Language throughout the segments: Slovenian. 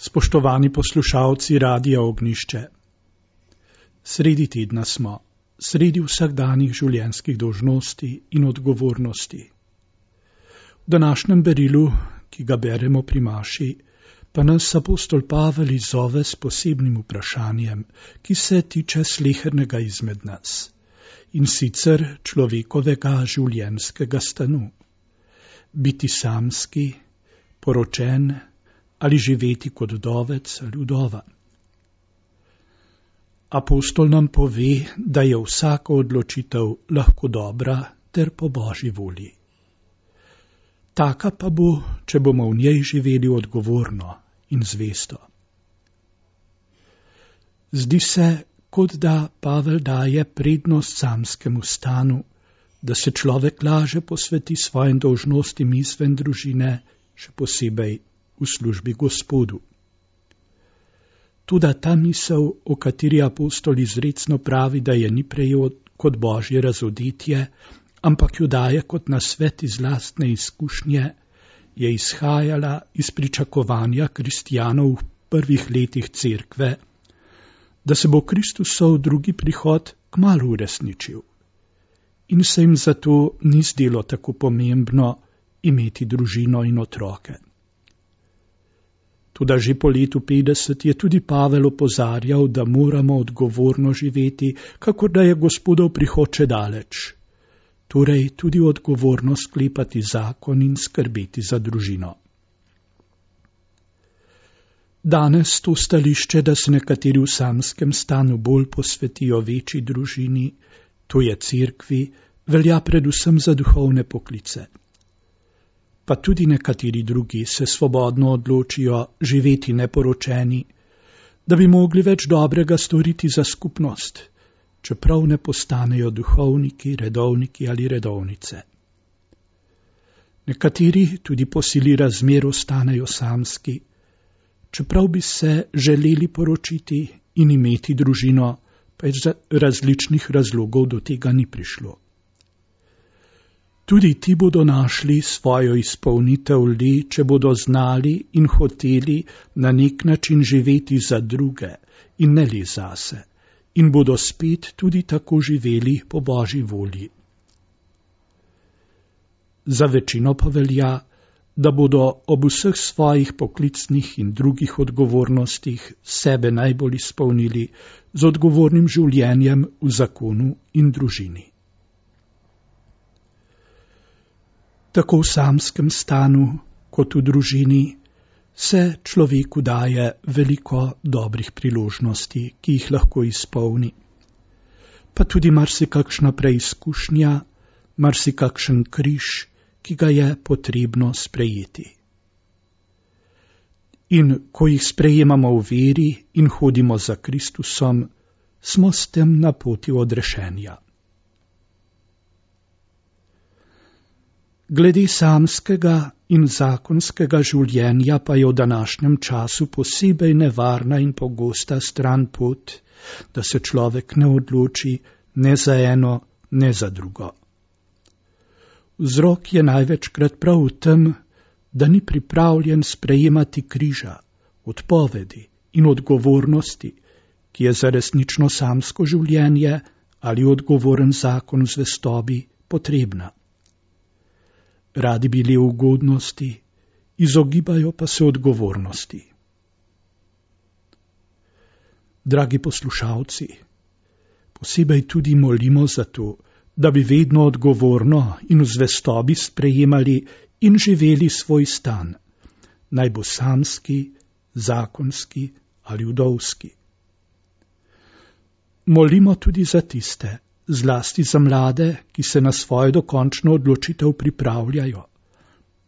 Spoštovani poslušalci Radia Ognjišče, sredi tedna smo, sredi vsakdanjih življenjskih dolžnosti in odgovornosti. V današnjem berilu, ki ga beremo pri maši, pa nas apostol Pavel izzove s posebnim vprašanjem, ki se tiče slehernega izmed nas, in sicer človekovega življenjskega stanu. Biti samski, poročen ali živeti kot vdovec ali vdova. Apostol nam pove, da je vsaka odločitev lahko dobra ter po Božji volji. Taka pa bo, če bomo v njej živeli odgovorno in zvesto. Zdi se, kot da Pavel daje prednost samskemu stanu, da se človek laže posveti svojim dolžnostim izven družine, še posebej v službi Gospodu. Toda ta misel, o kateri apostol izrecno pravi, da je ni prejel kot Božje razodetje, ampak jo daje kot nasvet iz lastne izkušnje, je izhajala iz pričakovanja kristjanov v prvih letih cerkve, da se bo Kristusov drugi prihod kmalu uresničil. In se jim zato ni zdelo tako pomembno imeti družino in otroke. Toda že po letu 50 je tudi Pavel opozarjal, da moramo odgovorno živeti, kakor da je Gospodov prihod še daleč. Torej tudi odgovorno sklepati zakon in skrbeti za družino. Danes to stališče, da se nekateri v samskem stanu bolj posvetijo večji družini, to je cerkvi, velja predvsem za duhovne poklice. Pa tudi nekateri drugi se svobodno odločijo živeti neporočeni, da bi mogli več dobrega storiti za skupnost, čeprav ne postanejo duhovniki, redovniki ali redovnice. Nekateri tudi po sili razmer ostanejo samski, čeprav bi se želeli poročiti in imeti družino, pa iz različnih razlogov do tega ni prišlo. Tudi ti bodo našli svojo izpolnitev le, če bodo znali in hoteli na nek način živeti za druge in ne le zase, in bodo spet tudi tako živeli po Božji volji. Za večino pa velja, da bodo ob vseh svojih poklicnih in drugih odgovornostih sebe najbolj izpolnili z odgovornim življenjem v zakonu in družini. Tako v samskem stanu kot v družini se človeku daje veliko dobrih priložnosti, ki jih lahko izpolni. Pa tudi marsikakšna preizkušnja, marsikakšen križ, ki ga je potrebno sprejeti. In ko jih sprejemamo v veri in hodimo za Kristusom, smo s tem na poti odrešenja. Glede samskega in zakonskega življenja pa je v današnjem času posebej nevarna in pogosta stran pot, da se človek ne odloči ne za eno, ne za drugo. Vzrok je največkrat prav v tem, da ni pripravljen sprejemati križa, odpovedi in odgovornosti, ki je za resnično samsko življenje ali odgovoren zakon v zvestobi potrebna. Radi bili v ugodnosti, izogibajo pa se odgovornosti. Dragi poslušalci, posebej tudi molimo za to, da bi vedno odgovorno in v zvestobi sprejemali in živeli svoj stan, naj bo samski, zakonski ali vdovski. Molimo tudi za tiste, zlasti za mlade, ki se na svojo dokončno odločitev pripravljajo,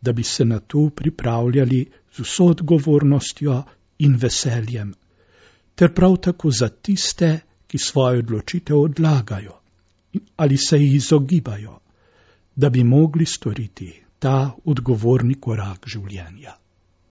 da bi se na to pripravljali z vso odgovornostjo in veseljem, ter prav tako za tiste, ki svojo odločitev odlagajo ali se jih izogibajo, da bi mogli storiti ta odgovorni korak življenja.